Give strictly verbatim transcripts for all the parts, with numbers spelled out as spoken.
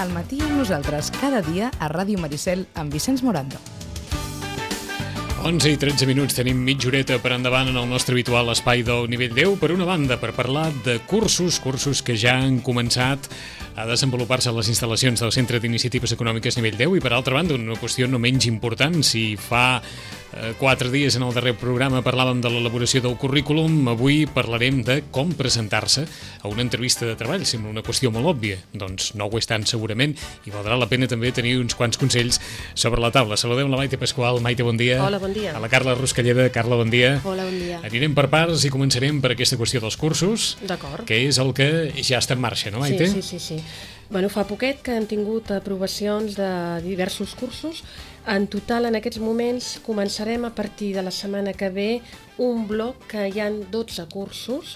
Al matí amb nosaltres, cada dia a Ràdio Maricel amb Vicenç Morando. onze i tretze minuts, tenim mitja horeta per endavant en el nostre habitual espai del Nivell deu. Per una banda, per parlar de cursos, cursos que ja han començat a desenvolupar-se a les instal·lacions del Centre d'Iniciatives Econòmiques Nivell deu, i per altra banda, una qüestió no menys important. Si fa eh, quatre dies en el darrer programa parlàvem de l'elaboració del currículum, avui parlarem de com presentar-se a una entrevista de treball. Sembla una qüestió molt òbvia, doncs no ho és tant segurament, i valdrà la pena també tenir uns quants consells sobre la taula. Saludem la Maite Pasqual. Maite, bon dia. Hola, bon dia. A la Carla Ruscalleda. Carla, bon dia. Hola, bon dia. Anirem per parts i començarem per aquesta qüestió dels cursos. D'acord. Que és el que ja està en marxa, no, Maite? Sí, sí, sí, sí. Bueno, fa poquet que hem tingut aprovacions de diversos cursos. En total, en aquests moments, començarem a partir de la setmana que ve un bloc que hi ha dotze cursos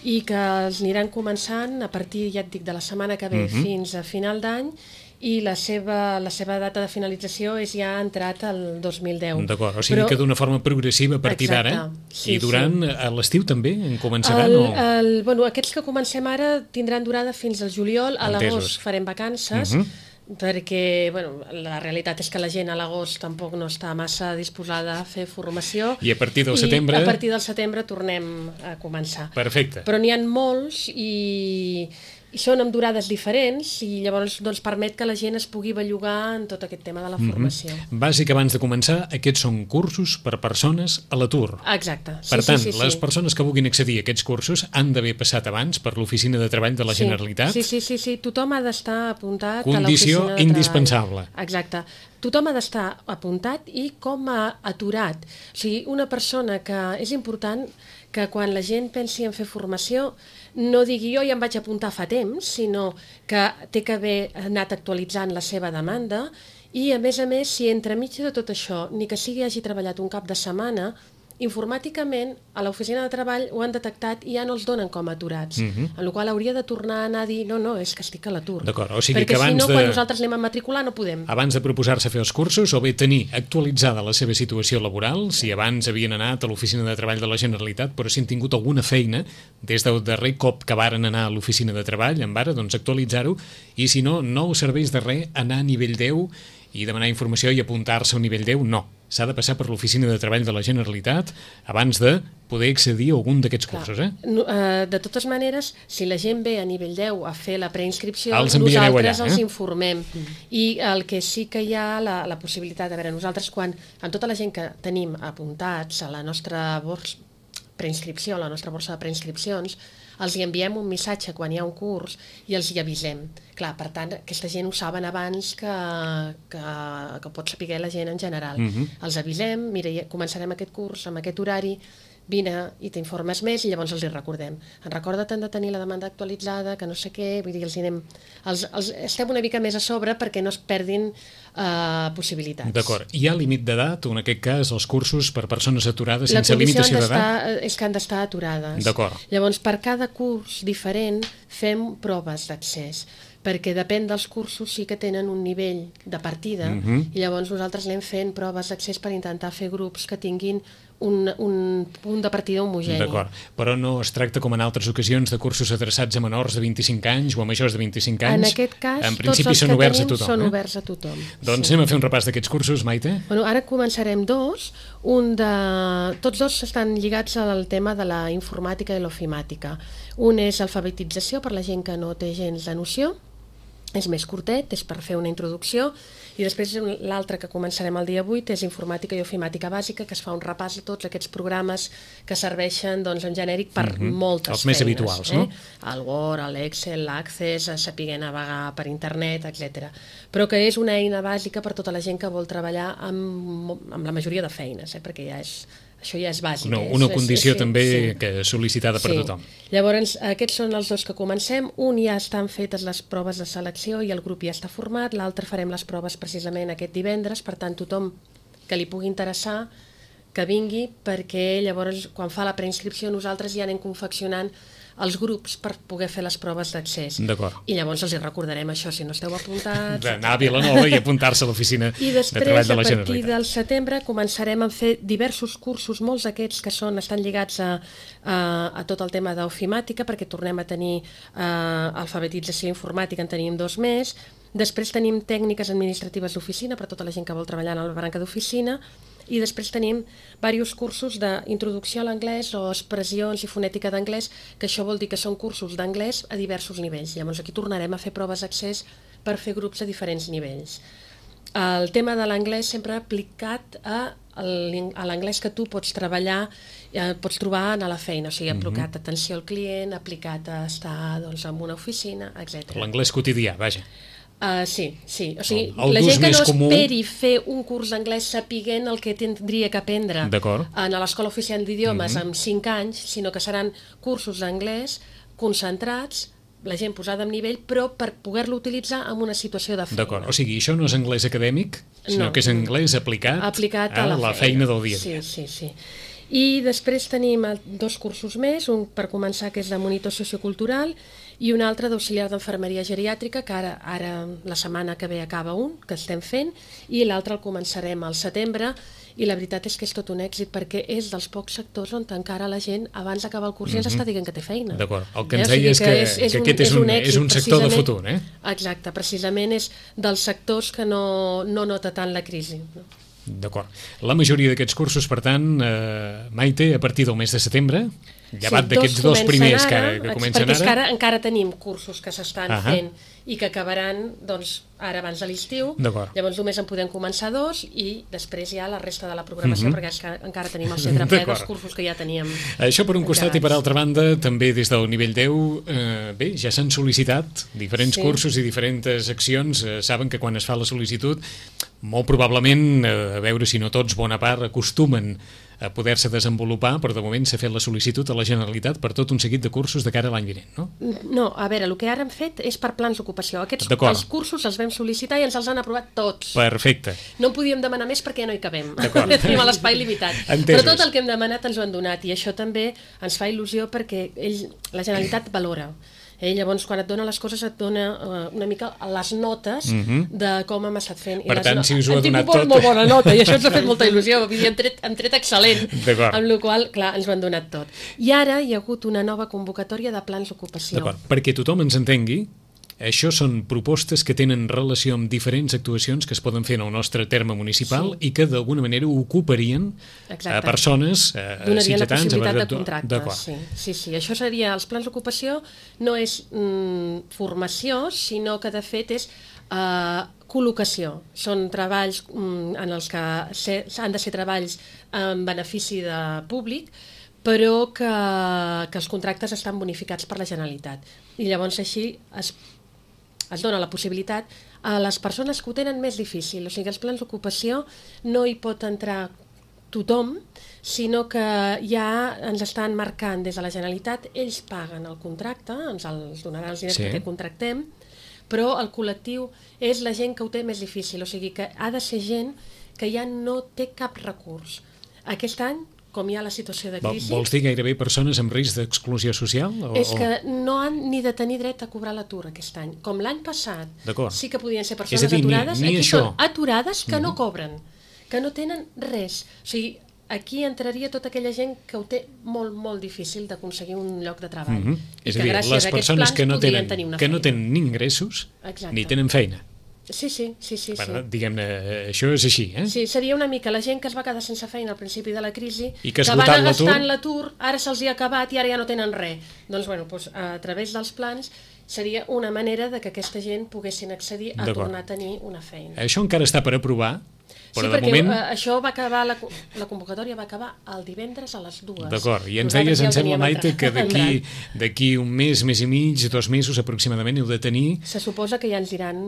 i que els aniran començant a partir, ja et dic, de la setmana que ve uh-huh. fins a final d'any, i la seva, la seva data de finalització és ja entrat al dos mil deu. D'acord, o sigui Però... que d'una forma progressiva a partir d'ara, sí, i durant sí. a l'estiu també en començaran? El, o... el, bueno, aquests que comencem ara tindran durada fins al juliol, a l'agost farem vacances, uh-huh. perquè bueno, la realitat és que la gent a l'agost tampoc no està massa disposada a fer formació. I a partir del setembre? I a partir del setembre tornem a començar. Perfecte. Però n'hi ha molts i... i són amb durades diferents i llavors doncs, permet que la gent es pugui bellugar en tot aquest tema de la formació. Mm-hmm. Bàsic, abans de començar, aquests són cursos per persones a l'atur. Exacte. Sí, per tant, sí, sí, les sí. persones que vulguin accedir a aquests cursos han d'haver passat abans per l'Oficina de Treball de la sí. Generalitat? Sí, sí, sí, sí. Tothom ha d'estar apuntat Condició a l'Oficina de indispensable. Treball. Exacte. Tothom ha d'estar apuntat i com a aturat. O sigui, una persona que... És important que quan la gent pensi en fer formació no digui jo ja em vaig apuntar fa temps, sinó que té que haver anat actualitzant la seva demanda i, a més a més, si entremig de tot això, ni que sigui hagi treballat un cap de setmana, informàticament a l'oficina de treball ho han detectat i ja no els donen com a aturats, uh-huh. en la qual hauria de tornar a anar a dir no, no, és que estic a l'atur. D'acord, o sigui perquè que abans si no, de... quan nosaltres anem a matricular no podem. Abans de proposar-se fer els cursos, o bé tenir actualitzada la seva situació laboral, si abans havien anat a l'Oficina de Treball de la Generalitat, però si han tingut alguna feina des del darrer cop que varen anar a l'Oficina de Treball, en vara, doncs actualitzar-ho, i si no, no us serveix de res anar a nivell deu i demanar informació i apuntar-se a un nivell deu, no. S'ha de passar per l'Oficina de Treball de la Generalitat abans de poder accedir a algun d'aquests cursos, eh? No, uh, de totes maneres, si la gent ve a nivell deu a fer la preinscripció, els nosaltres allà, els eh? informem. Mm. I el que sí que hi ha la, la possibilitat, a veure, nosaltres quan, amb tota la gent que tenim apuntats a la nostra borsa preinscripció, a la nostra borsa de preinscripcions, els hi enviem un missatge quan hi ha un curs i els hi avisem. Clar, per tant, aquesta gent ho saben abans que, que, que pot saber la gent en general. Uh-huh. Els avisem, mira, començarem aquest curs amb aquest horari, vine i t'informes més i llavors els hi recordem. En recorda't de tenir la demanda actualitzada, que no sé què, vull dir, els anem, els, els estem una mica més a sobre perquè no es perdin uh, possibilitats. D'acord. Hi ha límit d'edat, o en aquest cas els cursos per persones aturades sense limitació d'edat? La condició és que han d'estar aturades. D'acord. Llavors, per cada curs diferent fem proves d'accés, perquè depèn dels cursos sí que tenen un nivell de partida uh-huh. i llavors nosaltres anem fent proves d'accés per intentar fer grups que tinguin un, un punt de partida homogeni. D'acord, però no es tracta com en altres ocasions de cursos adreçats a menors de vint-i-cinc anys o a majors de vint-i-cinc anys? En aquest cas, en principi tots els són que oberts tenim a tothom, són eh? oberts a tothom. Doncs sí. anem a fer un repàs d'aquests cursos, Maite? Bueno, ara començarem dos. Un de... Tots dos estan lligats al tema de la informàtica i l'ofimàtica. Un és alfabetització per la gent que no té gens de noció, és més curtet, és per fer una introducció, i després l'altre que començarem el dia vuit és informàtica i ofimàtica bàsica, que es fa un repàs a tots aquests programes que serveixen doncs, en genèric per mm-hmm. moltes Els feines. més habituals, eh? no? El Word, l'Excel, l'Access, saber navegar per internet, etcètera. Però que és una eina bàsica per tota la gent que vol treballar amb, amb la majoria de feines, eh? Perquè ja és... Això ja és bàsic. No, una és, condició és, és, també sí. que sol·licitada per sí. tothom. Llavors, aquests són els dos que comencem. Un ja estan fetes les proves de selecció i el grup ja està format. L'altre farem les proves precisament aquest divendres. Per tant, tothom que li pugui interessar que vingui, perquè llavors, quan fa la preinscripció, nosaltres ja anem confeccionant els grups per poder fer les proves d'accés. D'acord. I llavors els hi recordarem això, si no esteu apuntats... D'anar a Vilanova i apuntar-se a l'oficina de treball de la Generalitat. I després, a partir del setembre, començarem a fer diversos cursos, molts d'aquests que són, estan lligats a, a, a tot el tema d'ofimàtica, perquè tornem a tenir uh, alfabetització informàtica, en tenim dos més. Després tenim tècniques administratives d'oficina per a tota la gent que vol treballar en la branca d'oficina, i després tenim diversos cursos d'introducció a l'anglès o expressions i fonètica d'anglès, que això vol dir que són cursos d'anglès a diversos nivells. Llavors aquí tornarem a fer proves d'accés per fer grups a diferents nivells. El tema de l'anglès sempre aplicat a l'anglès que tu pots treballar, eh, pots trobar a la feina, o sigui, aplicat a atenció al client, aplicat a estar doncs, en una oficina, etcètera. L'anglès quotidià, vaja. Uh, sí, sí. O sigui, el, el la gent que no comú... esperi fer un curs d'anglès sapiguent el que tindria que aprendre en l'Escola Oficial d'Idiomes mm-hmm. amb cinc anys, sinó que seran cursos d'anglès concentrats, la gent posada en nivell, però per poder-lo utilitzar en una situació de feina. D'acord, o sigui, això no és anglès acadèmic, sinó no, que és anglès aplicat, aplicat a, a la, la feina. feina del dia a dia. Sí, sí, sí. I després tenim dos cursos més, un per començar que és de monitor sociocultural i un altre d'auxiliar d'enfermeria geriàtrica, que ara, ara la setmana que ve acaba un, que estem fent, i l'altre el començarem al setembre, i la veritat és que és tot un èxit perquè és dels pocs sectors on encara la gent abans d'acabar el curs ja ens està dient que té feina. D'acord, el que ens deia és que, és, és que aquest és un, és un sector de futur, eh? Exacte, precisament és dels sectors que no, no nota tant la crisi. D'acord. La majoria d'aquests cursos, per tant, eh, Maite, a partir del mes de setembre, llevat sí, d'aquests dos primers ara, que, ara, que comencen perquè ara... Perquè ara encara tenim cursos que s'estan uh -huh. fent i que acabaran doncs, ara abans de l'estiu, llavors només en podem començar dos i després ja la resta de la programació, uh -huh. perquè és que encara tenim el centre ple dels cursos que ja teníem. Això per un costat i per altra banda, també des del nivell deu, eh, bé, ja s'han sol·licitat diferents sí. cursos i diferents accions. Eh, saben que quan es fa la sol·licitud, molt probablement, eh, a veure si no tots, bona part, acostumen a poder-se desenvolupar, però de moment s'ha fet la sol·licitud a la Generalitat per tot un seguit de cursos de cara a l'any vinent, no? No, a veure, el que ara hem fet és per plans d'ocupació. Aquests els cursos els vam sol·licitar i ens els han aprovat tots. Perfecte. No en podíem demanar més perquè ja no hi cabem. Tenim l'espai limitat. Entesos. Però tot el que hem demanat ens ho han donat i això també ens fa il·lusió perquè ell, la Generalitat valora. Eh, llavors, quan et dona les coses, et dona uh, una mica les notes uh-huh. de com hem estat fent. Per I tant, no... si us ho ha donat tot... tot... molt bona nota, i això ens ha fet molta il·lusió. Hem tret, hem tret excel·lent, amb la qual clar, ens ho han donat tot. I ara hi ha hagut una nova convocatòria de plans d'ocupació. D'acord, perquè tothom ens entengui, això són propostes que tenen relació amb diferents actuacions que es poden fer en el nostre terme municipal sí. i que d'alguna manera ocuparien a persones, a donarien la possibilitat de contracte. Sí. sí, sí, això seria, els plans d'ocupació no és mm, formació, sinó que de fet és eh, col·locació. Són treballs mm, en els que se, han de ser treballs en benefici de públic, però que, que els contractes estan bonificats per la Generalitat. I llavors així es es dona la possibilitat a les persones que ho tenen més difícil. O sigui, els plans d'ocupació no hi pot entrar tothom, sinó que ja ens estan marcant des de la Generalitat, ells paguen el contracte, ens els donaran els diners sí. que contractem, però el col·lectiu és la gent que ho té més difícil. O sigui, que ha de ser gent que ja no té cap recurs. Aquest any, com hi ha la situació de crisi... Vols dir gairebé persones amb risc d'exclusió social? O, és que no han ni de tenir dret a cobrar l'atur aquest any. Com l'any passat sí que podien ser persones dir, aturades, ni, ni aquí això. són aturades que mm-hmm. no cobren, que no tenen res. O sigui, aquí entraria tota aquella gent que ho té molt, molt difícil d'aconseguir un lloc de treball. Mm-hmm. És a dir, les persones que no tenen, que no tenen ni ingressos Exacte. ni tenen feina. Sí, sí, sí, sí, bueno, sí. Diguem-ne, això és així, eh? Sí, seria una mica la gent que es va quedar sense feina al principi de la crisi, I que, que van anar gastant l'atur, ara se'ls hi ha acabat i ara ja no tenen res. Doncs, bueno, doncs, a través dels plans seria una manera de que aquesta gent poguessin accedir a tornar a tenir una feina. Això encara està per aprovar, però sí, de perquè moment... això va acabar, la, la convocatòria va acabar el divendres a les dues. D'acord, i ens deies, em sembla, Maite, que d'aquí d'aquí un mes, mes i mig, dos mesos aproximadament heu de tenir... Se suposa que ja ens diran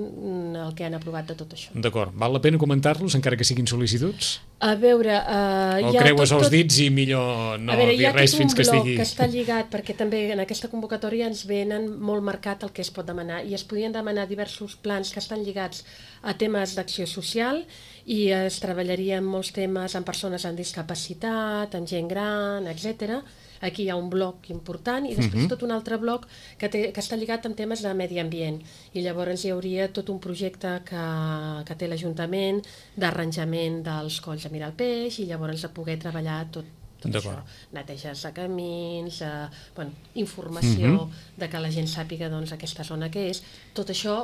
el que han aprovat de tot això. D'acord, val la pena comentar-los, encara que siguin sol·licituds? A veure... Uh, o creues tot, els dits i millor no veure, dir res fins que estigui... Hi ha tot un bloc que està lligat, perquè també en aquesta convocatòria ens venen molt marcat el que es pot demanar, i es podien demanar diversos plans que estan lligats a temes d'acció social, i es treballaria en molts temes amb persones amb discapacitat, amb gent gran, etcètera. Aquí hi ha un bloc important i després uh-huh. tot un altre bloc que, té, que està lligat amb temes de medi ambient. I llavors hi hauria tot un projecte que, que té l'Ajuntament d'arranjament dels colls de mirar el peix, i llavors de poder treballar tot, tot això. Neteges de camins, eh, bueno, informació uh-huh. de que la gent sàpiga doncs, aquesta zona que és. Tot això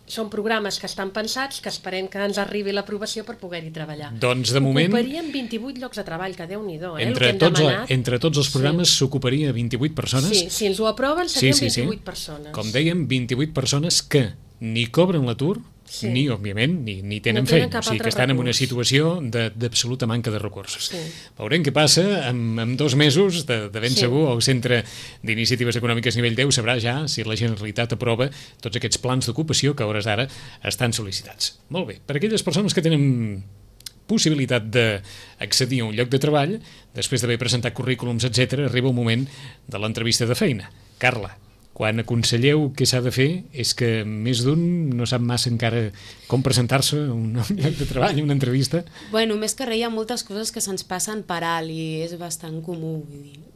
són programes que estan pensats, que esperem que ens arribi l'aprovació per poder-hi treballar. Doncs de moment... Ocuparien vint-i-vuit llocs de treball, que Déu-n'hi-do, eh, entre, el que hem tots, demanat. entre tots els programes s'ocuparia sí. vint-i-vuit persones. Sí, si ens ho aproven serien sí, sí, vint-i-vuit sí. persones. Com dèiem, vint-i-vuit persones que ni cobren l'atur, sí. ni, òbviament, ni, ni tenen, no tenen feina. O sigui, que estan recurs. En una situació d'absoluta manca de recursos. Sí. Veurem què passa en, en dos mesos, de, de ben sí. segur, el Centre d'Iniciatives Econòmiques Nivell deu sabrà ja si la Generalitat aprova tots aquests plans d'ocupació que a hores d'ara estan sol·licitats. Molt bé, per aquelles persones que tenen possibilitat d'accedir a un lloc de treball, després d'haver presentat currículums, etcètera, arriba el moment de l'entrevista de feina. Carla, quan aconselleu què s'ha de fer, és que més d'un no sap massa encara com presentar-se a un lloc de treball, a una entrevista. Bueno, més que res hi ha moltes coses que se'ns passen per alt i és bastant comú.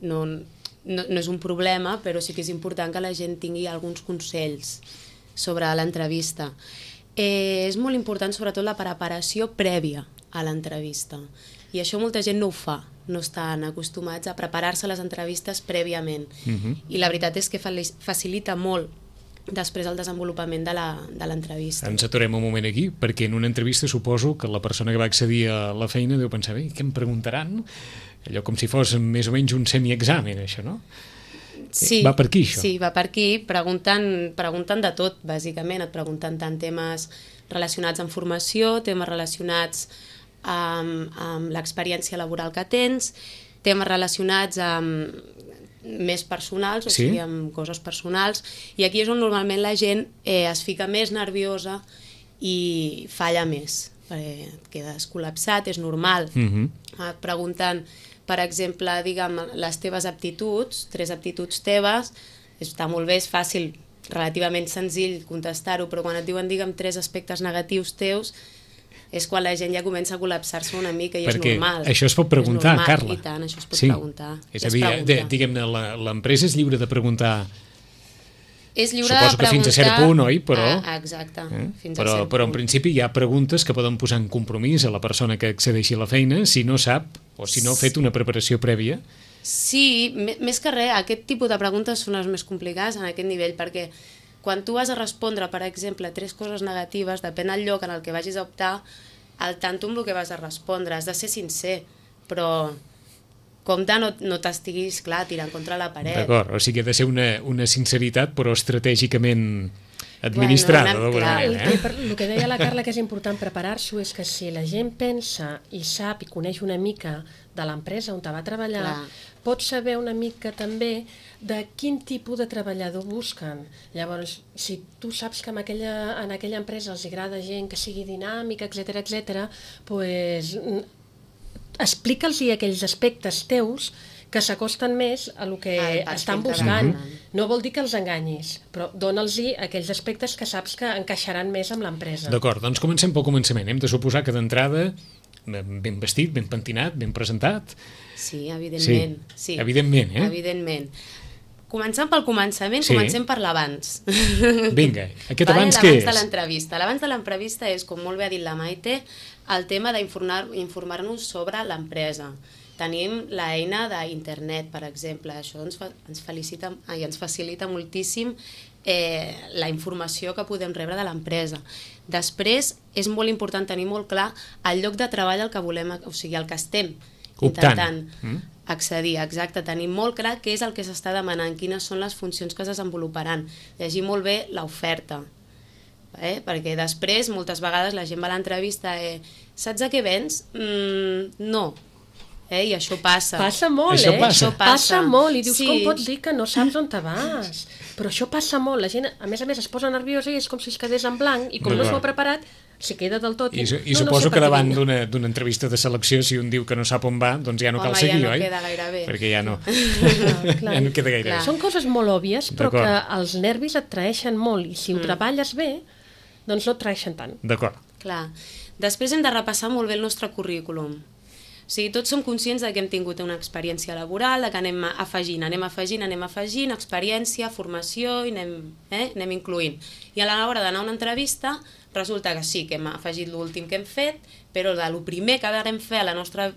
No, no, no és un problema, però sí que és important que la gent tingui alguns consells sobre l'entrevista. Eh, és molt important, sobretot, la preparació prèvia a l'entrevista. I això molta gent no ho fa, no estan acostumats a preparar-se les entrevistes prèviament. Uh-huh. I la veritat és que facilita molt després el desenvolupament de l'entrevista. Ens aturem un moment aquí, perquè en una entrevista suposo que la persona que va accedir a la feina deu pensar, bé, què em preguntaran? Allò com si fos més o menys un semiexamen, això, no? Sí, va per aquí, això? Sí, va per aquí, preguntant, preguntant de tot, bàsicament. Et pregunten tant temes relacionats amb formació, temes relacionats amb, amb l'experiència laboral que tens, temes relacionats amb més personals, o sí? sigui, amb coses personals, i aquí és on normalment la gent eh, es fica més nerviosa i falla més, perquè et quedes col·lapsat, és normal. Uh-huh. Et pregunten, per exemple, digue'm, les teves aptituds, tres aptituds teves, està molt bé, és fàcil, relativament senzill contestar-ho, però quan et diuen, digue'm, tres aspectes negatius teus, és quan la gent ja comença a col·lapsar-se una mica i perquè és normal. Perquè això es pot preguntar, normal, Carla. I tant, això es pot sí. preguntar. És a dir, diguem-ne, l'empresa és lliure de preguntar... És lliure Suposo de que fins a cert punt, oi? Però, ah, exacte. Eh? Fins però, a cert però en punt. principi hi ha preguntes que poden posar en compromís a la persona que accedeixi a la feina si no sap o si no ha fet una preparació prèvia. Sí, més que res, aquest tipus de preguntes són les més complicades en aquest nivell, perquè quan tu vas a respondre, per exemple, tres coses negatives, depèn del lloc en el que vagis a optar, al tanto amb el que vas a respondre, has de ser sincer, però compte no, no t'estiguis, clar, tirant contra la paret. D'acord, o sigui, ha de ser una, una sinceritat, però estratègicament administrada, bueno, d'alguna manera. Eh? El, el que deia la Carla, que és important preparar-s'ho, és que si la gent pensa i sap i coneix una mica de l'empresa on te va treballar, clar, pot saber una mica també de quin tipus de treballador busquen. Llavors, si tu saps que en aquella, en aquella empresa els agrada gent que sigui dinàmica, etcètera, etcètera, pues, explica'ls aquells aspectes teus que s'acosten més a el que ah, estan buscant. No vol dir que els enganyis, però dona'ls aquells aspectes que saps que encaixaran més amb l'empresa. D'acord, doncs comencem pel començament. Hem de suposar que d'entrada ben vestit, ben pentinat, ben presentat. Sí, evidentment. Sí, sí. Evidentment, eh? Evidentment. Començant pel començament, sí. Comencem per l'abans. Vinga, aquest vale, abans què és? L'abans de l'entrevista. L'abans de l'entrevista és, com molt bé ha dit la Maite, el tema d'informar-nos sobre l'empresa. Tenim l'eina d'internet, per exemple. Això ens, fa, ens, felicita, ai, ens facilita moltíssim eh, la informació que podem rebre de l'empresa. Després, és molt important tenir molt clar el lloc de treball al que volem, o sigui, al que estem intentant mm. accedir. Exacte, tenir molt clar què és el que s'està demanant, quines són les funcions que es desenvoluparan. Llegir molt bé l'oferta. Eh? Perquè després, moltes vegades, la gent va a l'entrevista eh, saps a què vens? Mm, no. Eh? I això passa. Passa molt, això eh? Passa. Això passa. passa molt. I dius, sí. Com pots dir que no saps on te vas? Però això passa molt. La gent, a més a més, es posa nerviosa i és com si es quedés en blanc i com no s'ho ha preparat, s'hi queda del tot. I, i no, suposo no sé que davant d'una entrevista de selecció, si un diu que no sap on va, doncs ja no cal Home, seguir, ja no oi? queda gaire bé. Perquè ja no. Clar, clar. Ja no queda gaire bé. Són coses molt òbvies, però que els nervis et traeixen molt i si ho mm. treballes bé, doncs no et traeixen tant. D'acord. Clar. Després hem de repassar molt bé el nostre currículum. O sigui, tots som conscients de que hem tingut una experiència laboral, de que anem afegint, anem afegint, anem afegint, experiència, formació, i anem, eh, anem incloent. I a l'hora d'anar a una entrevista, resulta que sí, que hem afegit l'últim que hem fet, però de lo primer que vam fer a la nostra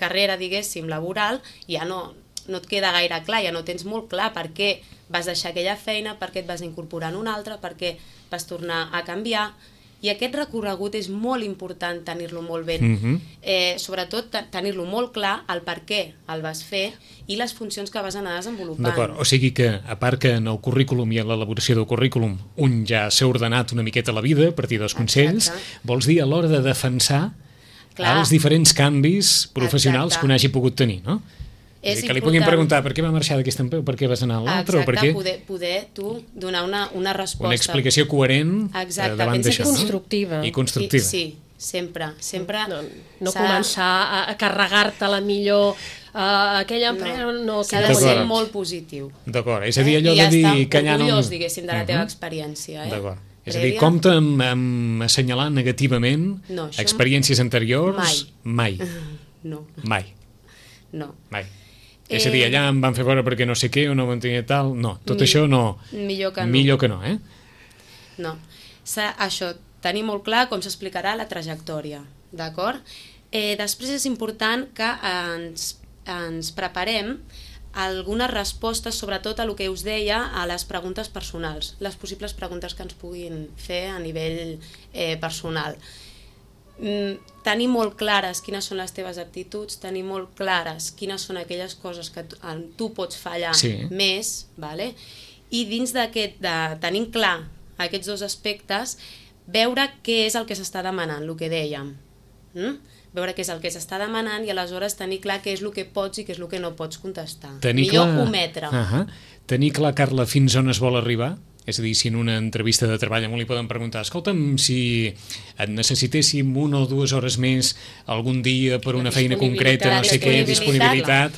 carrera, diguéssim, laboral, ja no, no et queda gaire clar, ja no tens molt clar per què vas deixar aquella feina, per què et vas incorporar en una altra, per què vas tornar a canviar. I aquest recorregut és molt important tenir-lo molt ben, Mm-hmm. eh, sobretot tenir-lo molt clar, el per què el vas fer i les funcions que vas anar desenvolupant. D'acord, o sigui que, a part que en el currículum i en l'elaboració del currículum un ja s'ha ordenat una miqueta la vida a partir dels consells, Exacte. vols dir a l'hora de defensar Clar. els diferents canvis professionals Exacte. que un hagi pogut tenir, no? És És dir, que li important. puguin preguntar per què va marxar d'aquesta empresa, per què vas anar a l'altra, o per què... Exacte, poder, poder tu donar una, una resposta. Una explicació coherent Exacte, eh, davant pensa d'això. que constructiva. No? I constructiva. Sí, sí, sempre. sempre No, no s'ha- començar a, a carregar-te la millor uh, aquella empresa, no, no S'ha que de no ser D'acord. molt positiu. D'acord, és a dir, allò I de dir estar que allà no... orgullós, diguéssim, de la teva Mhm. experiència. Eh? D'acord. És a dir, Prèvia? compta amb, amb assenyalar negativament No, això experiències anteriors. mai. Mai. No, Mai. no. Mai. És a dir, allà em van fer veure perquè no sé què o no van tenir tal... No, tot Mi- això no. millor que no. Millor que no, eh? No. S'ha- Això, tenir molt clar com s'explicarà la trajectòria, d'acord? Eh, després és important que ens, ens preparem algunes respostes, sobretot a el que us deia, a les preguntes personals, les possibles preguntes que ens puguin fer a nivell eh, personal. Mm, tenir molt clares quines són les teves aptituds, tenir molt clares quines són aquelles coses que tu, en tu pots fallar Sí. més, vale? I dins d'aquest, de tenir clar aquests dos aspectes, veure què és el que s'està demanant, el que dèiem. Mm? Veure què és el que s'està demanant i aleshores tenir clar què és el que pots i què és el que no pots contestar. Tenir Millor clar... ometre. Uh -huh. Tenir clar, Carla, fins on es vol arribar? És a dir, si en una entrevista de treball a un li poden preguntar escolta'm, si et necessitéssim una o dues hores més algun dia per una feina concreta, no sé què, disponibilitat...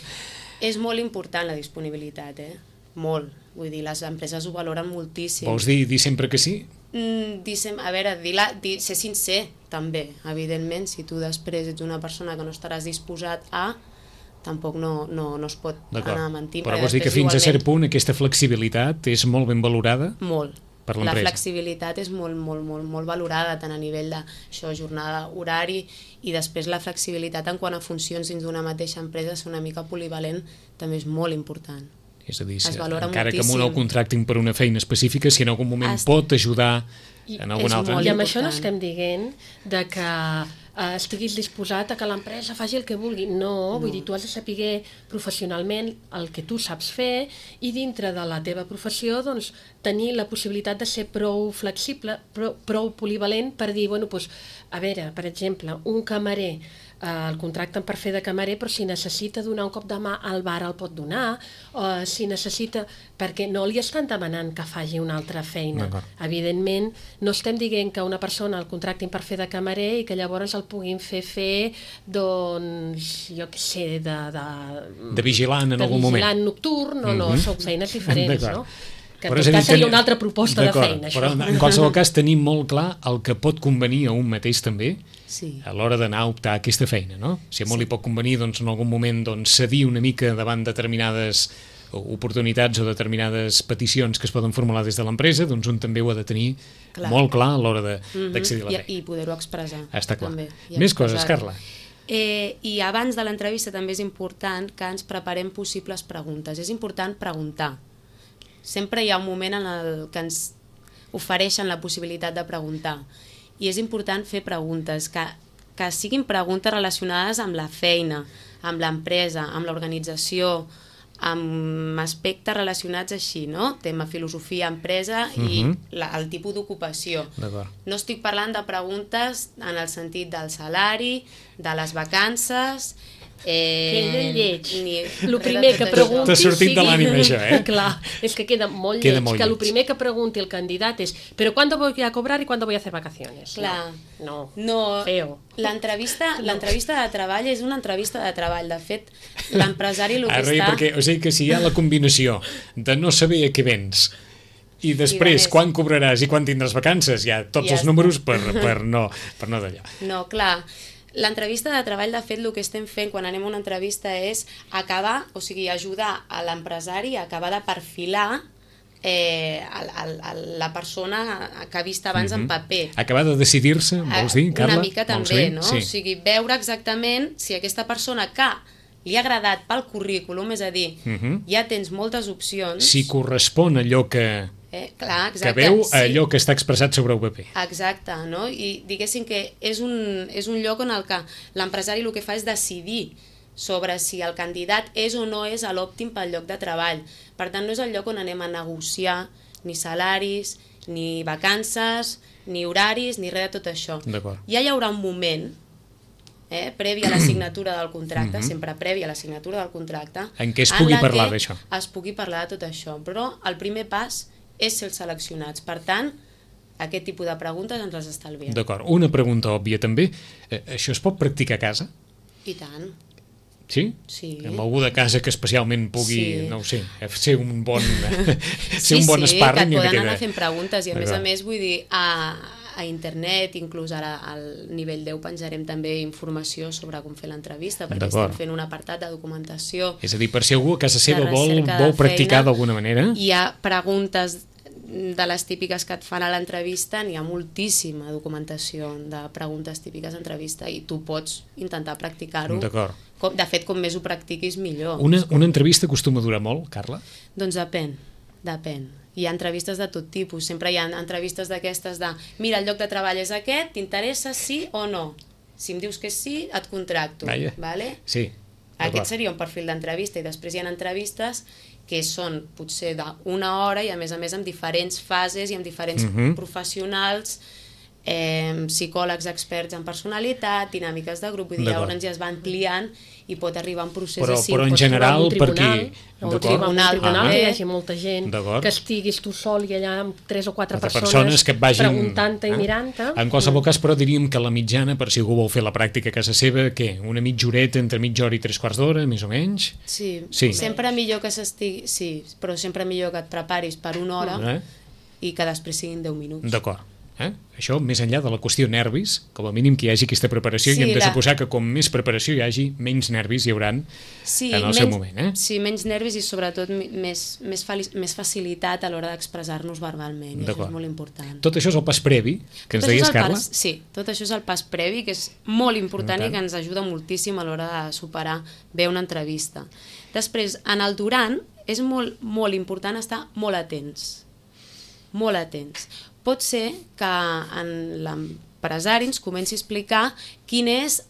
És molt important la disponibilitat, eh? Molt. Vull dir, les empreses ho valoren moltíssim. Vols dir, dir sempre que sí? Mm, dir sem- a veure, dir la, dir, ser sincer, també, evidentment. Si tu després ets una persona que no estaràs disposat a, tampoc no, no, no es pot anar mentint. Però perquè vols dir que després fins a cert igualment- punt aquesta flexibilitat és molt ben valorada? Molt. Per La l'empresa. flexibilitat és molt, molt, molt, molt valorada, tant a nivell de això, jornada, horari, i després la flexibilitat en quant a funcions dins d'una mateixa empresa, ser una mica polivalent, també és molt important. És a dir, Es si, valora encara que amb un moltíssim. el contractin per una feina específica, si en algun moment Est- pot ajudar I en algun és altre... molt I amb això no important. estem dient de que eh, estiguis disposat a que l'empresa faci el que vulgui. No, no, vull dir, tu has de saber professionalment el que tu saps fer i dintre de la teva professió doncs, tenir la possibilitat de ser prou flexible, prou, prou polivalent per dir, bueno, doncs, a veure, per exemple, un camarer eh, el contracten per fer de camarer, però si necessita donar un cop de mà al bar el pot donar, o si necessita... perquè no li estan demanant que faci una altra feina. D'acord. Evidentment, no estem dient que una persona el contractin per fer de camarer i que llavors el puguin fer fer, doncs, jo què sé, de... De, De vigilant en de algun moment. vigilant nocturn, no, no, Mhm. són feines diferents, D'acord. no? Que en Però és tot a dir, cas seria tenir- una altra proposta de D'acord, feina, això. Però en qualsevol cas tenim molt clar el que pot convenir a un mateix també Sí. a l'hora d'anar a optar a aquesta feina, no? Si a molt li pot convenir doncs, en algun moment doncs, cedir una mica davant determinades oportunitats o determinades peticions que es poden formular des de l'empresa, doncs un també ho ha de tenir Clar. molt clar a l'hora de- Mhm. d'accedir a la feina. I, i poder-ho expressar. Està clar. També, i Més coses, expressar-ho. Carla. Eh, I abans de l'entrevista també és important que ens preparem possibles preguntes. És important preguntar. Sempre hi ha un moment en el que ens ofereixen la possibilitat de preguntar. I és important fer preguntes, que, que siguin preguntes relacionades amb la feina, amb l'empresa, amb l'organització, amb aspectes relacionats així, no? Tema filosofia, empresa i Mhm. la, el tipus d'ocupació. D'acord. No estic parlant de preguntes en el sentit del salari, de les vacances... Eh, Queda lleig. ni El res primer de que tot pregunti... T'ha sortit de l'ànima, això, eh? Clar, és que queda molt Queda lleig, molt que el lleig. primer que pregunti el candidat és ¿pero cuándo voy a cobrar y cuándo voy a hacer vacaciones? Clar. No, no. No, Feo. l'entrevista l'entrevista de treball és una entrevista de treball. De fet, l'empresari el que Ara, està... perquè, o sigui que si hi ha la combinació de no saber a què vens i després més. quan cobraràs i quan tindràs vacances, hi ha tots Ja els està. números per, per no, per no d'allò. No, clar. L'entrevista de treball, de fet, el que estem fent quan anem a una entrevista és acabar, o sigui, ajudar a l'empresari a acabar de perfilar eh, el, el, el, la persona que ha vist abans Mhm. en paper. Acabar de decidir-se, vols dir, Carla? Una mica Vols també, dir? no? Sí. O sigui, veure exactament si aquesta persona que li ha agradat pel currículum, és a dir, uh -huh. ja tens moltes opcions. Si correspon allò que, eh, clar, exacte, que veu sí. allò que està expressat sobre el paper. Exacte, no? I diguéssim que és un, és un lloc on el que l'empresari el que fa és decidir sobre si el candidat és o no és l'òptim pel lloc de treball. Per tant, no és el lloc on anem a negociar ni salaris, ni vacances, ni horaris, ni res de tot això. Ja hi haurà un moment, eh, previ a la signatura del contracte, mm-hmm. sempre previ a la signatura del contracte, en què es pugui parlar d'això. Es pugui parlar de tot això, però el primer pas és ser seleccionats. Per tant, aquest tipus de preguntes ens les estalviem. D'acord. Una pregunta òbvia també. Eh, això es pot practicar a casa? I tant. Sí? Sí. Amb algú de casa que especialment pugui, sí. no ho sé, ser un bon, ser sí, un bon sí, sparring. Sí, que et poden queda... anar fent preguntes i a més a més, vull dir, a, a internet, inclús ara al nivell deu penjarem també informació sobre com fer l'entrevista, perquè estem fent un apartat de documentació. És a dir, per si algú a casa seva vol, vol practicar d'alguna manera. Hi ha preguntes de les típiques que et fan a l'entrevista, n'hi ha moltíssima documentació de preguntes típiques d'entrevista i tu pots intentar practicar-ho. D'acord. De fet, com més ho practiquis, millor. Una, una entrevista acostuma a durar molt, Carla? Doncs depèn, depèn. Hi ha entrevistes de tot tipus, sempre hi ha entrevistes d'aquestes de mira, el lloc de treball és aquest, t'interessa sí o no? Si em dius que sí, et contracto. Vaja. Vale? Sí. Aquest seria un perfil d'entrevista i després hi ha entrevistes que són potser d'una hora i a més a més amb diferents fases i amb diferents uh-huh. professionals, eh, psicòlegs experts en personalitat, dinàmiques de grup, vull dir, llavors ja es va ampliant i pot arribar a un procés però, així. Però en general, per qui... O un tribunal, ah, que hi hagi molta gent, que estiguis tu sol i allà amb tres o quatre persones, persones que et vagin preguntant-te i mirant-te. En qualsevol cas, però diríem que la mitjana, per si algú vol fer la pràctica a casa seva, què? Una mitja horeta entre mitja hora i tres quarts d'hora, més o menys? Sí, sí. Sempre millor que s'estigui... Sí, però sempre millor que et preparis per una hora eh? i que després siguin deu minuts. D'acord. Eh? Això, més enllà de la qüestió nervis, com a mínim que hi hagi aquesta preparació, sí, i hem de la... suposar que com més preparació hi hagi, menys nervis hi hauran sí, en el menys, seu moment. Eh? Sí, menys nervis i sobretot més, més, més facilitat a l'hora d'expressar-nos verbalment, i això és molt important. Tot això és el pas previ, que ens deies, Carla? Pas, sí, tot això és el pas previ, que és molt important i que ens ajuda moltíssim a l'hora de superar bé una entrevista. Després, en el durant, és molt, molt important estar molt atents, molt atents. Pot ser que en l'empresari ens comenci a explicar quina és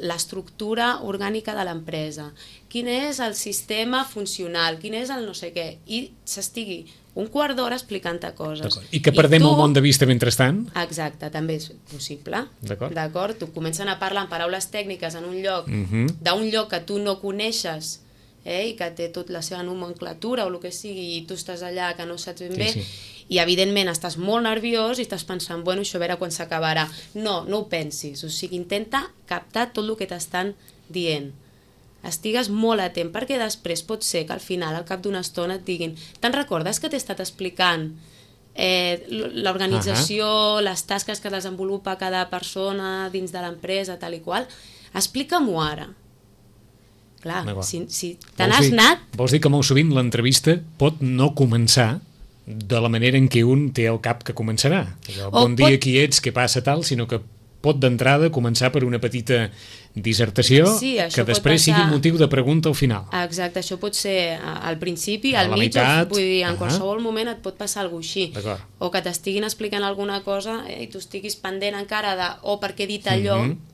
l'estructura orgànica de l'empresa, quin és el sistema funcional, quin és el no sé què, i s'estigui un quart d'hora explicant-te coses. I que perdem I tu... el món de vista mentrestant? Exacte, també és possible. D'acord. Tu comencen a parlar en paraules tècniques en un lloc, uh-huh. d'un lloc que tu no coneixes, eh, i que té tota la seva nomenclatura o el que sigui, i tu estàs allà que no saps ben sí, bé, sí. i evidentment estàs molt nerviós i estàs pensant, bueno, això a veure quan s'acabarà. No, no ho pensis, o sigui, intenta captar tot el que t'estan dient. Estigues molt atent, perquè després pot ser que al final, al cap d'una estona, et diguin te'n recordes que t'he estat explicant eh, l'organització, uh-huh. les tasques que desenvolupa cada persona dins de l'empresa, tal i qual? Explica-m'ho ara. Clar, si, si te n'has anat... Vols dir que molt sovint l'entrevista pot no començar de la manera en què un té al cap que començarà. El bon dia, qui ets, què passa, tal, sinó que pot d'entrada començar per una petita dissertació sí, que després passar... sigui motiu de pregunta al final. Exacte, això pot ser al principi, al mig, meitat, vull dir, en uh-huh. qualsevol moment et pot passar alguna cosa així. O que t'estiguin explicant alguna cosa eh, i tu estiguis pendent encara de o oh, per què he dit allò, uh-huh.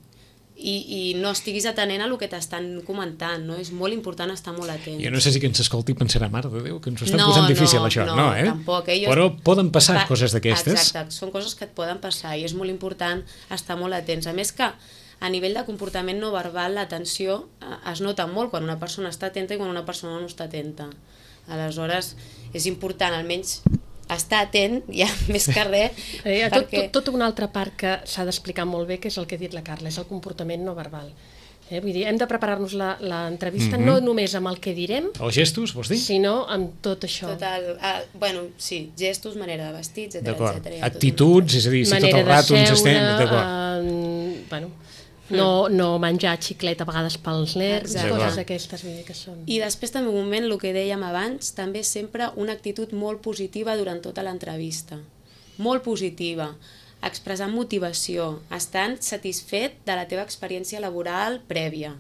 I, i no estiguis atenent a el que t'estan comentant, no? És molt important estar molt atent. Jo no sé si que ens escolti pensarà, mare de Déu, que ens ho estan no, posant difícil no, això, no, no, eh? Tampoc, eh? Però poden passar Va, coses d'aquestes. Exacte, són coses que et poden passar i és molt important estar molt atents. A més que a nivell de comportament no verbal l'atenció es nota molt quan una persona està atenta i quan una persona no està atenta. Aleshores és important almenys estar atent, ja més que res. Eh, tot, perquè... tot, tota una altra part que s'ha d'explicar molt bé, que és el que ha dit la Carla, és el comportament no verbal. Eh, vull dir, hem de preparar-nos l'entrevista mm-hmm. no només amb el que direm, els gestos, vols dir? Sinó amb tot això. Tot el, uh, bueno, sí, gestos, manera de vestir, etcètera, etcètera. Actituds, és a dir, si manera tot el rato ens estem... Uh, bueno, no, no menjar xiclet a vegades pels nervis, coses aquestes que són. I després també un moment, el que dèiem abans, també sempre una actitud molt positiva durant tota l'entrevista. Molt positiva. Expressar motivació, estant satisfet de la teva experiència laboral prèvia.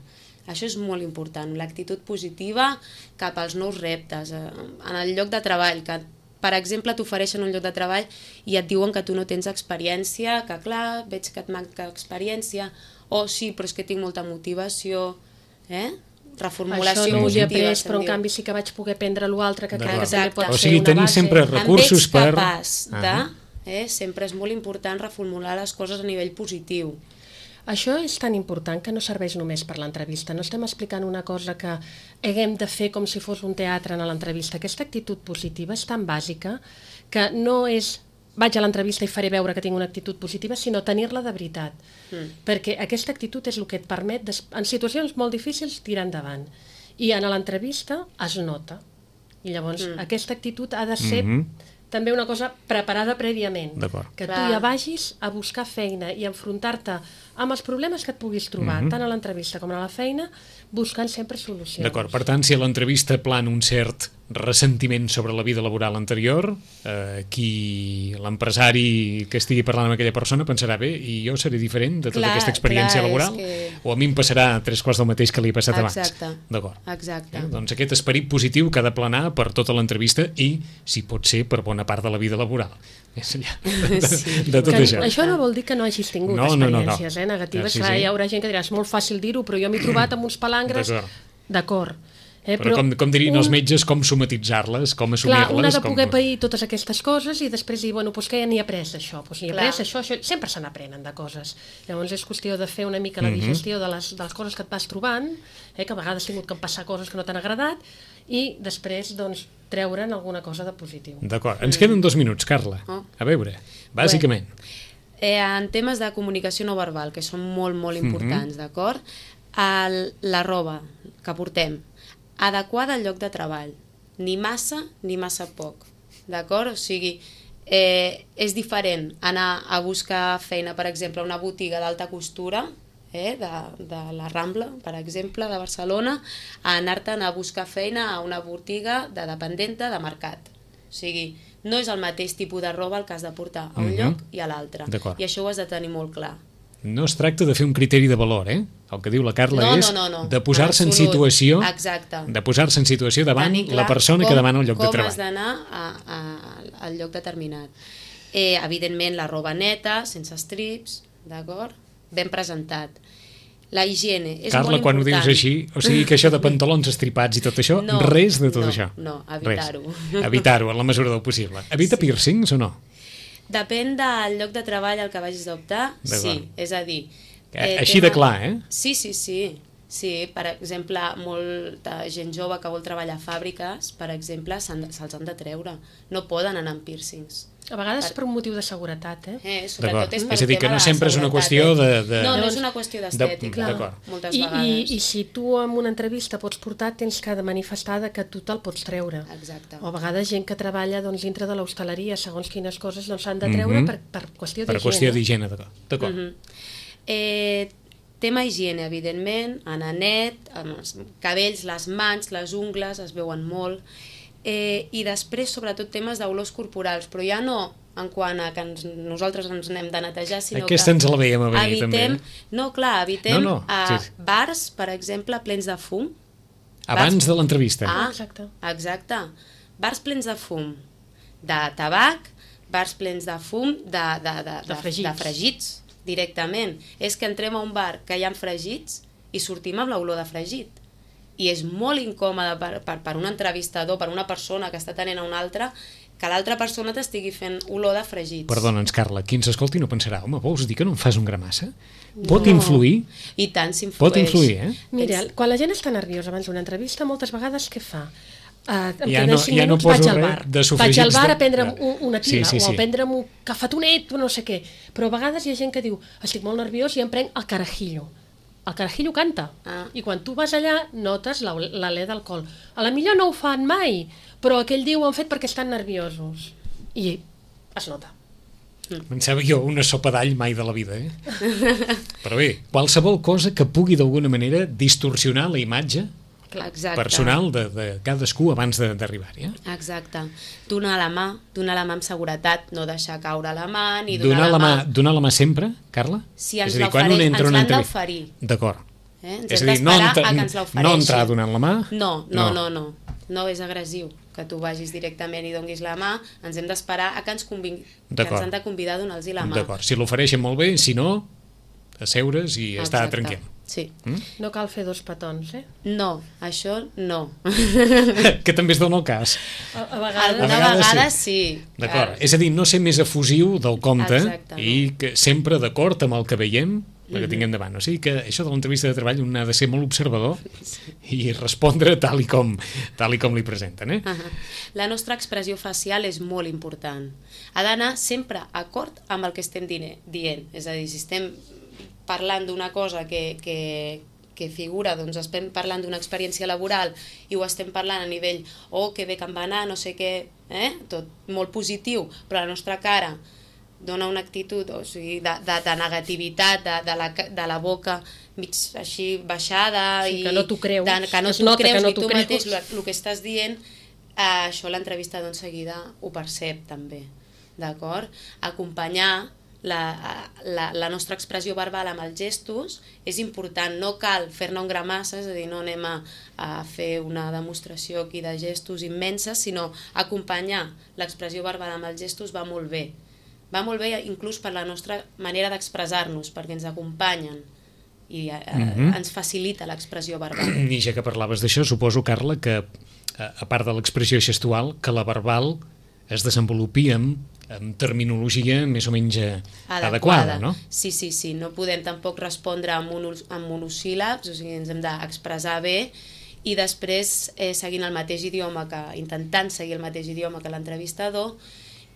Això és molt important, l'actitud positiva cap als nous reptes. En el lloc de treball, que per exemple t'ofereixen un lloc de treball i et diuen que tu no tens experiència, que clar, veig que et manca experiència, o sí, però és que tinc molta motivació, eh? Reformulació Això no ho he positiva, après, però en canvi sí que vaig poder prendre l'altre, que crec que també pot o ser sigui, una tenir base. sempre recursos per... Em veig capaç de... Eh? Sempre és molt important reformular les coses a nivell positiu. Això és tan important que no serveix només per l'entrevista. No estem explicant una cosa que haguem de fer com si fos un teatre en l'entrevista. Aquesta actitud positiva és tan bàsica que no és vaig a l'entrevista i faré veure que tinc una actitud positiva, sinó tenir-la de veritat. Mm. Perquè aquesta actitud és el que et permet, en situacions molt difícils, tirar endavant. I en l'entrevista es nota. I llavors mm. aquesta actitud ha de ser mm-hmm. també una cosa preparada prèviament. Que tu ja vagis a buscar feina i enfrontar-te amb els problemes que et puguis trobar, mm-hmm. tant a l'entrevista com a la feina, buscant sempre solucions. D'acord, per tant, si a l'entrevista plana un cert ressentiment sobre la vida laboral anterior, eh, qui l'empresari que estigui parlant amb aquella persona pensarà, bé, i jo seré diferent de tota clar, aquesta experiència clar, laboral? Que... O a mi em passarà tres quarts del mateix que li ha passat Exacte. abans? D'acord. Exacte. Eh? Doncs aquest esperit positiu que ha de planar per tota l'entrevista i, si pot ser, per bona part de la vida laboral. Més enllà de, de, sí. de tot que, això. Això no vol dir que no hagis tingut no, experiències no, no, no. Eh, negatives. Sí, sí. Clar, hi haurà gent que dirà, és molt fàcil dir-ho, però jo m'he trobat amb uns palangres... D'acord. Eh, però, però com, com dirien un... els metges, com somatitzar-les, com assumir-les... Clar, un ha de poder com... pair totes aquestes coses i després dir, bueno, doncs que ja n'hi he après d'això, doncs n'hi he après això, això, sempre se n'aprenen de coses. Llavors és qüestió de fer una mica la digestió mm-hmm. de, les, de les coses que et vas trobant, eh, que a vegades has tingut que passar coses que no t'han agradat, i després, doncs, treure'n alguna cosa de positiu. D'acord. Ens queden dos minuts, Carla. Oh. A veure, bàsicament. Bé, eh, en temes de comunicació no verbal, que són molt, molt importants, mm-hmm. d'acord? El, la roba que portem, adequada al lloc de treball, ni massa ni massa poc, d'acord? O sigui, eh, és diferent anar a buscar feina, per exemple, a una botiga d'alta costura, eh, de, de la Rambla, per exemple, de Barcelona, a anar-te'n a buscar feina a una botiga de dependenta de mercat. O sigui, no és el mateix tipus de roba el que has de portar a un mm-hmm. lloc i a l'altre. I això ho has de tenir molt clar. No es tracta de fer un criteri de valor, eh? El que diu la Carla no, és no, no, no. de posar-se en situació Exacte. de posar-se en situació davant la persona com, que demana el lloc de treball. Com has d'anar a, a, al lloc determinat. Eh, evidentment, la roba neta, sense estrips, d'acord? Ben presentat. La higiene és Carla, molt important. quan ho dius així, o sigui que això de pantalons estripats i tot això, no, res de tot no, això. No, evitar-ho. Evitar-ho, en la mesura del possible. Evita sí. piercings o no? Depèn del lloc de treball al que vagis a optar, sí, és a dir... Eh, Així tema... de clar, eh? Sí, sí, sí. Sí, per exemple, molta gent jove que vol treballar a fàbriques, per exemple, se'ls han de treure. No poden anar amb piercings. A vegades per, per un motiu de seguretat, eh? eh sobretot és, és a dir, que no sempre és una qüestió de... de... No, no és una qüestió d'estètica, de... moltes I, vegades. I, I si tu en una entrevista pots portar, tens que de manifestar que tu te'l pots treure. Exacte. O a vegades gent que treballa doncs, dintre de l'hostaleria, segons quines coses s'han doncs, de treure mm-hmm. per, per qüestió d'higiene. Per qüestió d'higiene, d'acord. Mm-hmm. Eh... Tema higiene, evidentment, anar net, amb els cabells, les mans, les ungles, es veuen molt, eh, i després, sobretot, temes d'olors corporals, però ja no en quant a que ens, nosaltres ens n'hem de netejar, sinó Aquesta que ens la veiem a venir, evitem, també. no, clar, evitem no, no, a sí. bars, per exemple, plens de fum. Abans bars... de l'entrevista. Ah, exacte. Exacte. Bars plens de fum, de tabac, bars plens de fum, de, de, de, de, de, fregits. de fregits, directament. És que entrem a un bar que hi ha fregits i sortim amb l'olor de fregit. I és molt incòmode per, per, per un entrevistador, per una persona que està tenint a una altra, que l'altra persona t'estigui fent olor de fregits. Perdona'ns, Carla, qui ens escolti no pensarà, home, vols dir que no em fas un gramassa? Pot no. influir? I tant s'influeix. Pot influir, eh? Mira, quan la gent està nerviosa abans d'una entrevista, moltes vegades què fa? Uh, ja no, ja no vaig al bar, vaig al bar de... a prendre'm un, una tira sí, sí, sí. o a prendre'm un cafetonet o no sé què, però a vegades hi ha gent que diu estic molt nerviós i em prenc el carajillo. El carajillo canta ah. i quan tu vas allà notes l'alè d'alcohol. A la millor no ho fan mai, però aquell dia ho han fet perquè estan nerviosos i es nota. Pensava jo una sopa d'all mai de la vida, eh? Però bé, qualsevol cosa que pugui d'alguna manera distorsionar la imatge Exacte. personal de, de cadascú abans d'arribar-hi. Eh? Exacte. Donar la mà, donar la mà amb seguretat, no deixar caure la mà, ni donar, donar la, la mà. mà... Donar la mà sempre, Carla? Si ens l'han d'oferir. d'oferir. D'acord. Eh? Ens És hem a dir, no, d'esperar entra, a que ens l'ofereixin. no entrar donant la mà? No, no, no, no. No és agressiu que tu vagis directament i donguis la mà. Ens hem d'esperar a que ens, convin... que ens han de convidar a donar-los la mà. D'acord, si l'ofereixen molt bé, si no, asseure's i Exacte. estar tranquil. Sí. Mm? No cal fer dos petons, eh? No, això no. Que també es dona el cas. A, a vegades... Alguna A vegades vegada sí. sí. D'acord, és a dir, no ser més efusiu del compte Exactament. i que sempre d'acord amb el que veiem perquè Mhm. tinguem davant. O sigui que això de l'entrevista de treball un ha de ser molt observador i respondre tal i com, tal i com li presenten. Eh? Uh -huh. La nostra expressió facial és molt important. Ha d'anar sempre acord amb el que estem dient. És a dir, si estem parlant d'una cosa que, que, que figura, doncs estem parlant d'una experiència laboral i ho estem parlant a nivell oh, que bé que em va anar, no sé què, eh? Tot molt positiu, però la nostra cara dona una actitud o sigui, de, de, de negativitat, de, de, la, de la boca mig així baixada, Sí, i que no t'ho creus. de, que no Es t'ho nota creus que no ni t'ho tu creus. mateix el que estàs dient, eh, això l'entrevistador en seguida ho percep també, d'acord? Acompanyar la, la, la nostra expressió verbal amb els gestos és important, no cal fer-ne un gra massa, és a dir, no anem a, a fer una demostració aquí de gestos immenses, sinó acompanyar l'expressió verbal amb els gestos va molt bé. Va molt bé inclús per la nostra manera d'expressar-nos, perquè ens acompanyen i eh, Mhm. ens facilita l'expressió verbal. I ja que parlaves d'això, suposo, Carla, que a a part de l'expressió gestual, que la verbal es desenvolupi amb, amb terminologia més o menys eh, adequada, no? Sí, sí, sí. No podem tampoc respondre amb, mono, amb monosíl·labs, o sigui, ens hem d'expressar bé i després eh, seguint el mateix idioma, que intentant seguir el mateix idioma que l'entrevistador,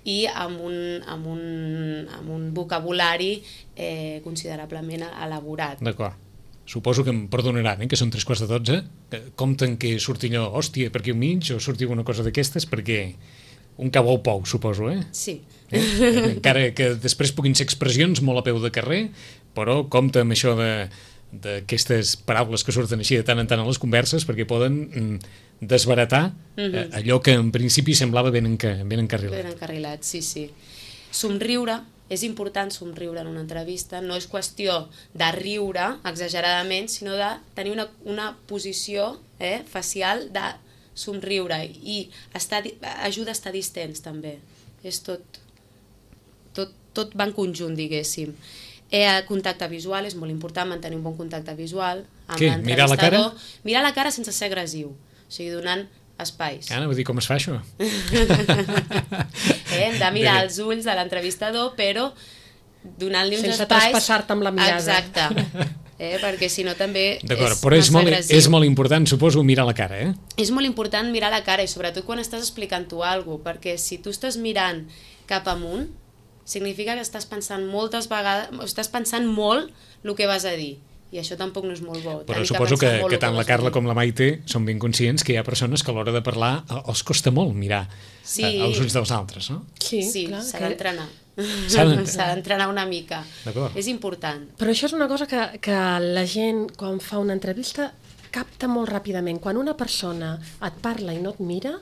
i amb un, amb un, amb un vocabulari eh, considerablement elaborat. D'acord. Suposo que em perdonaran, eh, que són tres quarts de dotze, que compten que surti allò, hòstia, per aquí al mig, o surti alguna cosa d'aquestes, perquè un cau au pou, suposo, eh? Sí. eh? Encara que després puguin ser expressions molt a peu de carrer, però compta amb això de d'aquestes paraules que surten així de tant en tant a les converses, perquè poden mm, desbaratar eh, allò que en principi semblava ben, enca, ben encarrilat. Ben encarrilat, sí, sí. Somriure, és important somriure en una entrevista, no és qüestió de riure exageradament, sinó de tenir una, una posició eh, facial de somriure i estar, ajuda a estar distents també. És tot, tot, tot va en conjunt, diguéssim. Eh, contacte visual, és molt important mantenir un bon contacte visual amb Què? Mirar la cara? Mirar la cara sense ser agressiu, o sigui, donant espais. Ara, vull dir, com es fa això? eh, hem de mirar els ulls de l'entrevistador, però donant-li uns Sense espais... traspassar-te amb la mirada. Exacte. Eh, perquè si no també D'acord, és però és massa molt, agressiu. és molt important, suposo, mirar la cara, eh? És molt important mirar la cara i sobretot quan estàs explicant tu alguna cosa, perquè si tu estàs mirant cap amunt, significa que estàs pensant moltes vegades, estàs pensant molt el que vas a dir. I això tampoc no és molt bo. Però Tenir suposo que, pensar molt que el tant la vas a Carla dir. com la Maite són ben conscients que hi ha persones que a l'hora de parlar eh, els costa molt mirar Sí. eh, els ulls dels altres, no? Sí, Sí, clar, s'ha que- d'entrenar. S'ha d'entrenar. S'ha d'entrenar una mica. D'acord. És important. Però això és una cosa que, que la gent, quan fa una entrevista, capta molt ràpidament. Quan una persona et parla i no et mira,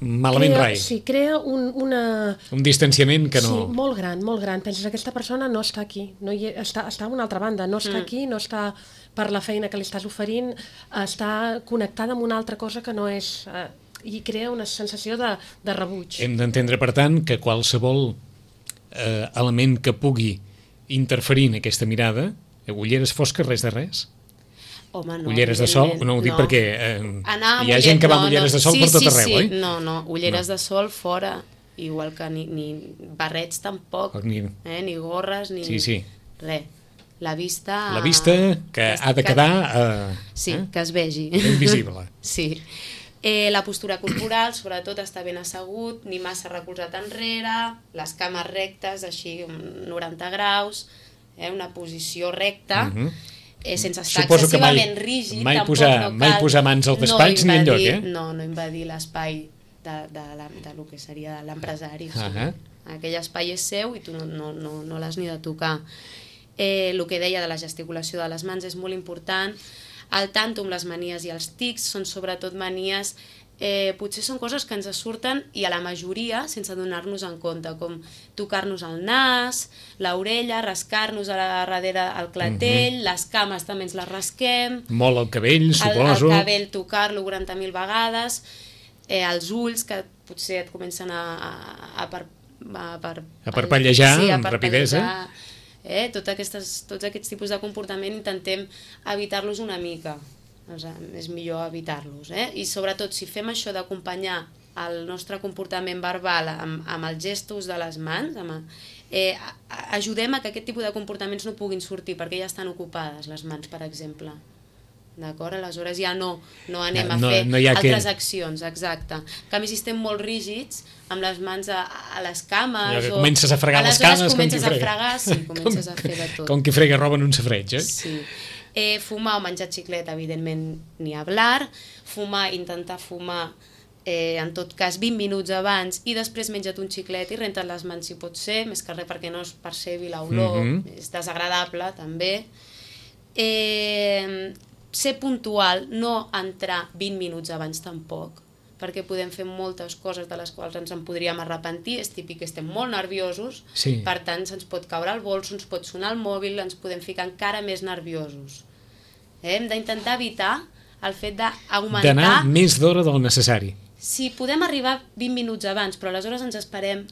Malament crea, rai. sí, crea un, una... Un distanciament que no... Sí, molt gran, molt gran. Penses que aquesta persona no està aquí, no hi, està, està a una altra banda, no està mm. aquí, no està per la feina que li estàs oferint, està connectada amb una altra cosa que no és... Eh, i crea una sensació de, de rebuig. Hem d'entendre, per tant, que qualsevol eh, element que pugui interferir en aquesta mirada, eh, ulleres fosques, res de res? Home, no, Ulleres de sol, evidentment, no ho dic no. perquè eh, Anar amb hi ha uller- gent que va no, amb ulleres no, de sol sí, per tot sí, arreu, sí. oi? No, no, ulleres No. de sol fora, igual que ni, ni barrets tampoc, Ni- eh, ni gorres, ni Sí, sí. res. La vista... La vista que ha de quedar eh, Sí, eh, que es vegi. ben visible. Sí. Eh, la postura corporal, sobretot, està ben assegut, ni massa recolzat enrere, les cames rectes, així, noranta graus, eh, una posició recta, Mhm. eh, sense estar Suposo que mai- excessivament rígid, mai tampoc posar- no cal... mai posar mans al despatx ni enlloc, eh? No, no invadir l'espai de, de, la, de lo que seria l'empresari. O sigui, Ahà. aquell espai és seu i tu no, no, no, no l'has ni de tocar. Eh, el que deia de la gesticulació de les mans és molt important. El tanto amb les manies i els tics són sobretot manies eh, potser són coses que ens surten i a la majoria sense donar-nos en compte, com tocar-nos el nas, l'orella, rascar-nos a la darrere el clatell, mm-hmm. les cames també ens les rasquem, molt el cabell, suposo, el, el cabell tocar-lo quaranta mil vegades, eh, els ulls que potser et comencen a, a, a, per, a, per, a parpellejar sí, a amb rapidesa. Eh, tot aquestes, tots aquests tipus de comportament intentem evitar-los una mica. O sigui, és millor evitar-los, eh? I sobretot si fem això d'acompanyar el nostre comportament verbal amb, amb els gestos de les mans, amb, eh, ajudem a que aquest tipus de comportaments no puguin sortir perquè ja estan ocupades les mans, per exemple. D'acord? Aleshores ja no, no anem a no, fer no altres que... accions, exacte. En canvi, si estem molt rígids, amb les mans a, a les cames... Ja, o... comences a fregar les cames com qui frega. Comences a fregar, sí, comences com, a fer de tot. Com qui frega roba en un safareig, eh? Sí. Eh, fumar o menjar xiclet, evidentment, ni hablar. Fumar, intentar fumar, eh, en tot cas, vint minuts abans i després menja't un xiclet i renta't les mans si pot ser, més que res perquè no es percebi l'olor, mm-hmm. és desagradable, també. Eh, ser puntual, no entrar vint minuts abans tampoc, perquè podem fer moltes coses de les quals ens en podríem arrepentir, és típic que estem molt nerviosos, sí. Per tant se'ns pot caure el bolso, ens pot sonar el mòbil, ens podem ficar encara més nerviosos. Eh? Hem d'intentar evitar el fet d'augmentar... D'anar més d'hora del necessari. Sí, podem arribar vint minuts abans, però aleshores ens esperem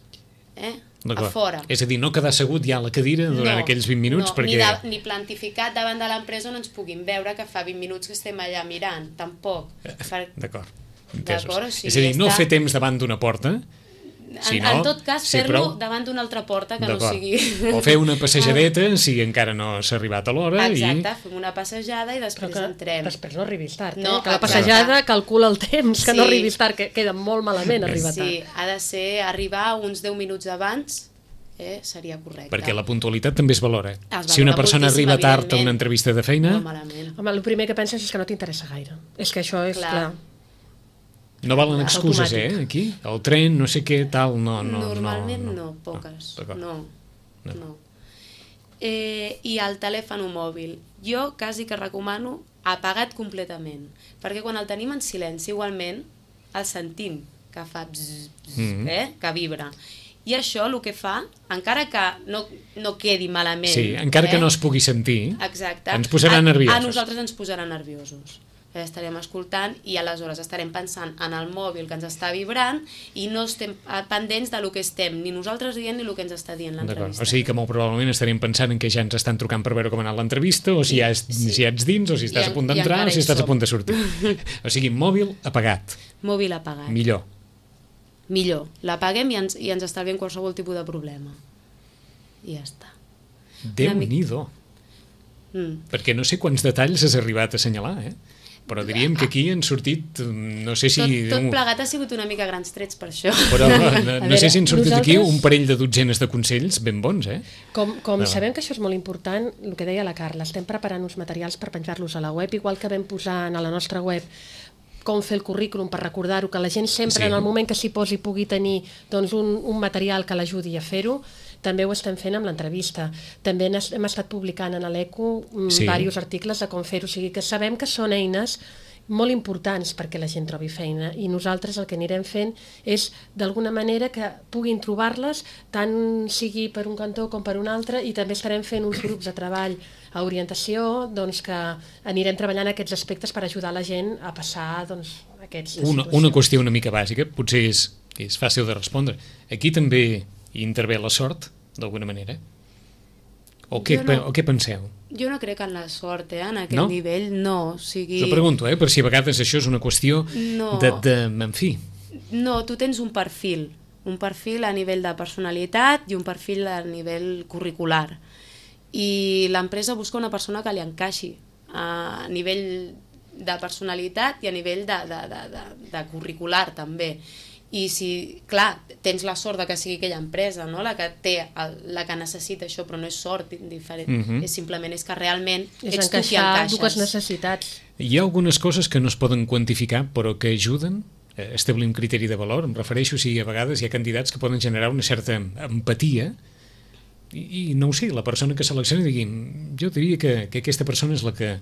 eh, a fora. És a dir, no quedar assegut ja a la cadira durant no, aquells vint minuts, no, perquè... Ni, de, ni plantificat davant de l'empresa on ens puguin veure que fa vint minuts que estem allà mirant, tampoc. Per... D'acord. D'acord, o sigui, és a dir, no està... fer temps davant d'una porta, si no, en tot cas, sí, fer-lo prou... davant d'una altra porta que no sigui... O fer una passejadeta si encara no s'ha arribat a l'hora. Exacte, i... fem una passejada i després que entrem. Després no arribis tard, no, eh? Que la passejada calcula el temps, que sí. no arribis tard, que queda molt malament arribar sí, tard. Sí, ha de ser arribar uns deu minuts abans, eh, seria correcte. Perquè la puntualitat també es valora. Es valora si una persona arriba tard a una entrevista de feina... Molt malament. Home, el primer que penses és que no t'interessa gaire. És que això és clar... clar. No valen excuses, eh, aquí? El tren, no sé què, tal, no... no Normalment no, no, no poques. No, no, no. no. Eh, I el telèfon mòbil. Jo quasi que recomano apagat completament, perquè quan el tenim en silenci, igualment, el sentim, que fa bzz, bzz, mm-hmm. eh, que vibra. I això el que fa, encara que no, no quedi malament... Sí, encara eh? que no es pugui sentir, exacte, ens posarà nerviosos. A, a nosaltres ens posarà nerviosos. Estarem escoltant i aleshores estarem pensant en el mòbil que ens està vibrant i no estem pendents del que estem ni nosaltres dient ni el que ens està dient l'entrevista. O sigui que molt probablement estarem pensant en que ja ens estan trucant per veure com ha anat l'entrevista o si, ja és, sí. si ja ets dins o si estàs I, a punt d'entrar o si estàs som. a punt de sortir. O sigui, mòbil apagat. Mòbil apagat. Millor. Millor. L'apaguem i ens, i ens estalviem qualsevol tipus de problema. I ja està. Déu-n'hi-do. Mm. Perquè no sé quants detalls has arribat a assenyalar, eh? Però diríem que aquí han sortit, no sé si... Tot, tot plegat ha sigut una mica grans trets per això. Però no, no, no veure, sé si han sortit nosaltres... aquí un parell de dotzenes de consells ben bons, eh? Com, com no. sabem que això és molt important, el que deia la Carla, estem preparant uns materials per penjar-los a la web, igual que vam posar a la nostra web com fer el currículum per recordar-ho, que la gent sempre sí. en el moment que s'hi posi pugui tenir doncs, un, un material que l'ajudi a fer-ho. També ho estem fent amb l'entrevista. També hem estat publicant en l'Eco sí. diversos articles de com fer-ho. O sigui que sabem que són eines molt importants perquè la gent trobi feina i nosaltres el que anirem fent és d'alguna manera que puguin trobar-les tant sigui per un cantó com per un altre i també estarem fent uns grups de treball a orientació doncs, que anirem treballant aquests aspectes per ajudar la gent a passar doncs, aquests una, una qüestió una mica bàsica, potser és, és fàcil de respondre. Aquí també hi intervé la sort, d'alguna manera? O què, no, o què penseu? Jo no crec en la sort, eh? En aquest no? nivell, no. O sigui... Jo pregunto, eh? Per si a vegades això és una qüestió no. de, de... En fi. No, tu tens un perfil. Un perfil a nivell de personalitat i un perfil a nivell curricular. I l'empresa busca una persona que li encaixi a nivell de personalitat i a nivell de, de, de, de, de curricular, també. I si, clar, tens la sort de que sigui aquella empresa, no? la que té el, la que necessita això, però no és sort diferent, uh-huh. és simplement és que realment és ets tu qui encaixes. Dues necessitats. Hi ha algunes coses que no es poden quantificar però que ajuden a establir un criteri de valor. Em refereixo si a vegades hi ha candidats que poden generar una certa empatia i no ho sé, la persona que seleccioni digui, jo diria que, que aquesta persona és la que,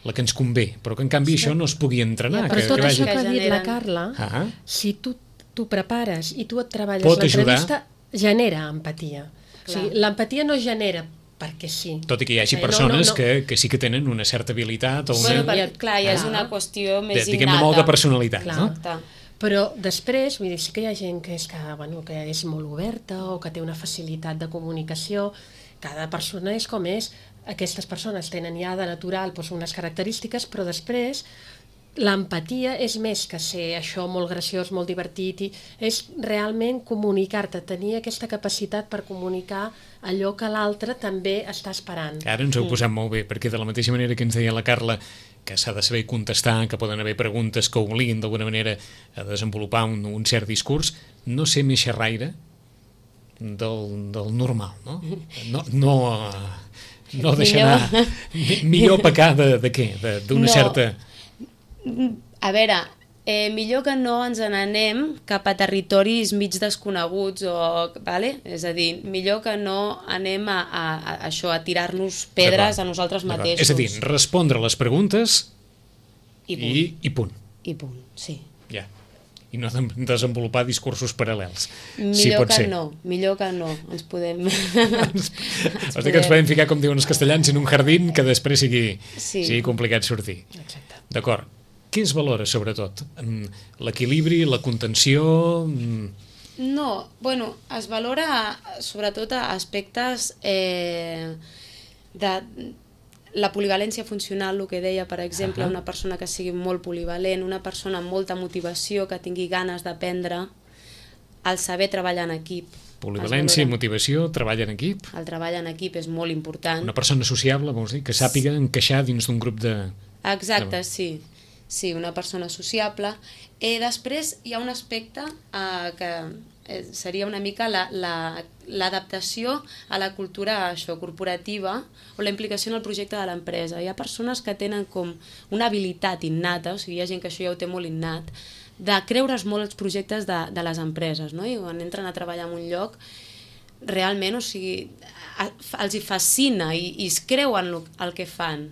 la que ens convé, però que en canvi sí. això no es pugui entrenar. Ja, però que, tot que això vagi... que ha dit la Carla, ah. si tu t'ho prepares i tu et treballes Pot l'entrevista, ajudar. genera empatia. O sigui, l'empatia no genera perquè sí. Tot i que hi hagi eh, persones no, no, no. Que, que sí que tenen una certa habilitat o una... Bueno, per, clar, ja és una qüestió més de, diguem, innata. de molt de personalitat, clar. no? Però després, vull dir, sí que hi ha gent que és, que, bueno, que és molt oberta o que té una facilitat de comunicació. Cada persona és com és. Aquestes persones tenen ja de natural doncs, unes característiques, però després l'empatia és més que ser això molt graciós, molt divertit, i és realment comunicar-te, tenir aquesta capacitat per comunicar allò que l'altre també està esperant. Ara ens heu posat molt bé, perquè de la mateixa manera que ens deia la Carla que s'ha de saber contestar, que poden haver preguntes que obliguin d'alguna manera a desenvolupar un, un cert discurs, no ser més xerraire del, del normal, no? No, no, no deixar anar... Millor pecar de, de què? D'una no. certa... A veure, eh, millor que no ens n'anem cap a territoris mig desconeguts, o, vale? És a dir, millor que no anem a, a, a això, a tirar-nos pedres a nosaltres mateixos. És a dir, respondre les preguntes i punt. I, i punt. I punt, sí. Ja. I no desenvolupar discursos paral·lels. Millor si pot que ser. no, millor que no. Ens podem... ens, ens podem... que ens podem ficar, com diuen els castellans, en un jardín que després sigui, sí. sigui complicat sortir. Exacte. D'acord. Què es valora, sobretot? L'equilibri, la contenció... No, bueno, es valora sobretot aspectes eh, de la polivalència funcional, el que deia, per exemple, uh -huh. una persona que sigui molt polivalent, una persona amb molta motivació, que tingui ganes d'aprendre, el saber treballar en equip. Polivalència i motivació, treball en equip. El treball en equip és molt important. Una persona sociable, vols dir, que sàpiga encaixar dins d'un grup de... Exacte, sí. Sí, una persona sociable. Eh, després hi ha un aspecte eh, que eh, seria una mica l'adaptació la, la, a la cultura això, corporativa o la implicació en el projecte de l'empresa. Hi ha persones que tenen com una habilitat innata, o sigui, hi ha gent que això ja ho té molt innat, de creure's molt els projectes de, de les empreses, no? I quan entren a treballar en un lloc, realment, o sigui, els hi fascina i, i es creuen el, el que fan.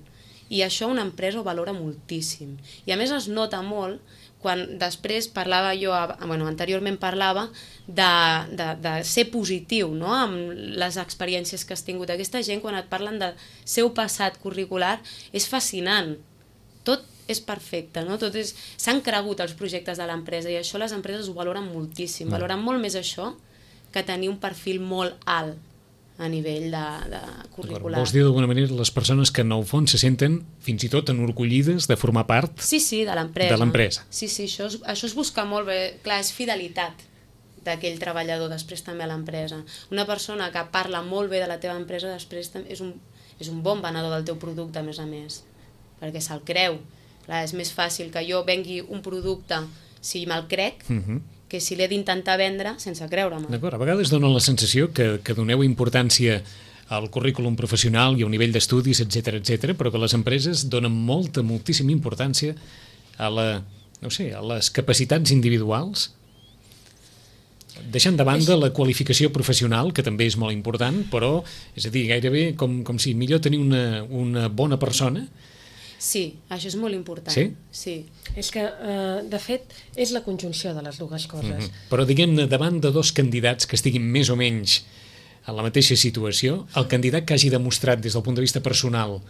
I això una empresa ho valora moltíssim. I a més es nota molt quan després parlava jo, bueno, anteriorment parlava de, de, de ser positiu, no?, amb les experiències que has tingut. Aquesta gent, quan et parlen del seu passat curricular, és fascinant. Tot és perfecte, no? Tot és... S'han cregut els projectes de l'empresa i això les empreses ho valoren moltíssim. Valoren molt més això que tenir un perfil molt alt a nivell de, de curricular. Vols dir d'alguna manera les persones que en el fons se senten fins i tot enorgullides de formar part sí, sí, de l'empresa. De l'empresa. Sí, sí, això es, això es busca molt bé. Clar, és fidelitat d'aquell treballador després també a l'empresa. Una persona que parla molt bé de la teva empresa després és un, és un bon venedor del teu producte, a més a més, perquè se'l creu. Clar, és més fàcil que jo vengui un producte si me'l crec, uh-huh. que si l'he d'intentar vendre sense creure-me. D'acord, a vegades dona la sensació que, que doneu importància al currículum professional i a un nivell d'estudis, etcètera, etcètera, però que les empreses donen molta, moltíssima importància a, la, no sé, a les capacitats individuals, deixant de banda la qualificació professional, que també és molt important, però, és a dir, gairebé com, com si millor tenir una, una bona persona. Sí, això és molt important. Sí? Sí. És que, eh, de fet, és la conjunció de les dues coses. Mm-hmm. Però, diguem-ne, davant de dos candidats que estiguin més o menys en la mateixa situació, el candidat que hagi demostrat des del punt de vista personal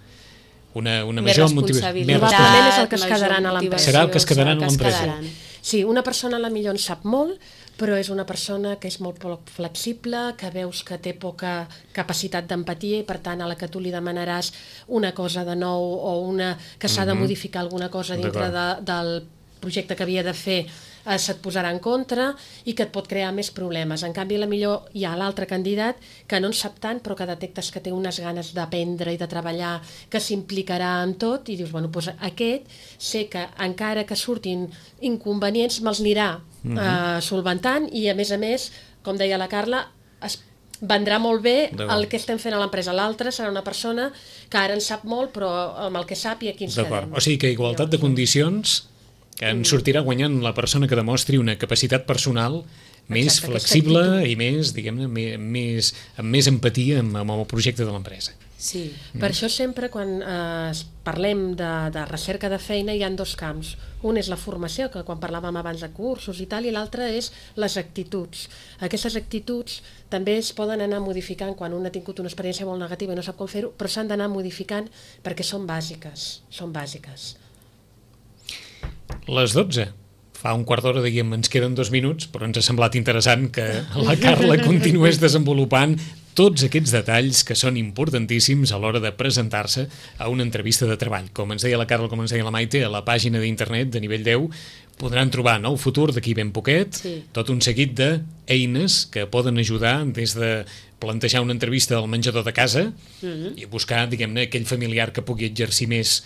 una, una més major responsabilitat, motivació... Probablement és el que es quedaran a l'empresa. Serà el que es quedaran a l'empresa. Sí, una persona a la millor en sap molt, però és una persona que és molt poc flexible, que veus que té poca capacitat d'empatia i per tant a la que tu li demanaràs una cosa de nou o una que s'ha de modificar alguna cosa dintre de, del projecte que havia de fer, eh, se't posarà en contra i que et pot crear més problemes. En canvi, la millor hi ha l'altre candidat que no en sap tant però que detectes que té unes ganes d'aprendre i de treballar, que s'implicarà en tot i dius, bueno, doncs aquest sé que encara que surtin inconvenients me'ls anirà Uh, solventant i a més a més, com deia la Carla, es vendrà molt bé el que estem fent a l'empresa. L'altra serà una persona que ara en sap molt però amb el que sap i aquí ens quedem. O sigui que igualtat de condicions que en sortirà guanyant la persona que demostri una capacitat personal més Exacte, flexible aquesta i més, diguem-ne, més, amb més empatia amb, amb el projecte de l'empresa. Sí. Mm. Per això sempre quan eh, parlem de, de recerca de feina hi ha dos camps. Un és la formació, que quan parlàvem abans de cursos i tal, i l'altre és les actituds. Aquestes actituds també es poden anar modificant quan un ha tingut una experiència molt negativa i no sap com fer-ho, però s'han d'anar modificant perquè són bàsiques, són bàsiques. Les dotze. Fa un quart d'hora, diguem, ens queden dos minuts, però ens ha semblat interessant que la Carla continués desenvolupant tots aquests detalls que són importantíssims a l'hora de presentar-se a una entrevista de treball. Com ens deia la Carla, com ens deia la Maite, a la pàgina d'internet de Nivell deu podran trobar nou futur d'aquí ben poquet, sí. tot un seguit d'eines que poden ajudar des de plantejar una entrevista al menjador de casa mm-hmm. i buscar, diguem-ne, aquell familiar que pugui exercir més,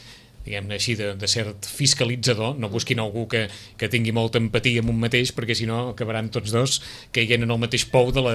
diguem-ne així, de, de cert fiscalitzador. No busquin algú que, que tingui molta empatia amb un mateix, perquè si no acabaran tots dos caient en el mateix pou de la,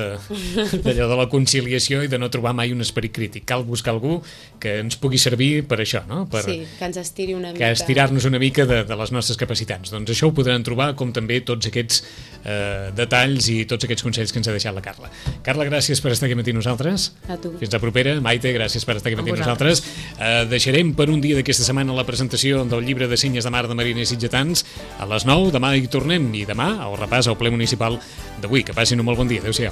d'allò de la conciliació i de no trobar mai un esperit crític. Cal buscar algú que ens pugui servir per això, no? Per, sí, que ens estiri una mica. Que estirar-nos una mica de, de les nostres capacitats. Doncs això ho podran trobar, com també tots aquests eh, detalls i tots aquests consells que ens ha deixat la Carla. Carla, gràcies per estar aquí amb nosaltres. A tu. Fins la propera. Maite, gràcies per estar aquí amb nosaltres. Eh, deixarem per un dia d'aquesta setmana la presentació del llibre de senyes de mar de mariners sitgetans a les nou. Demà hi tornem i demà el repàs al ple municipal d'avui. Que passin un molt bon dia. Adéu-siau.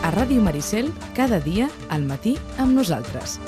A Ràdio Maricel, cada dia al matí amb nosaltres.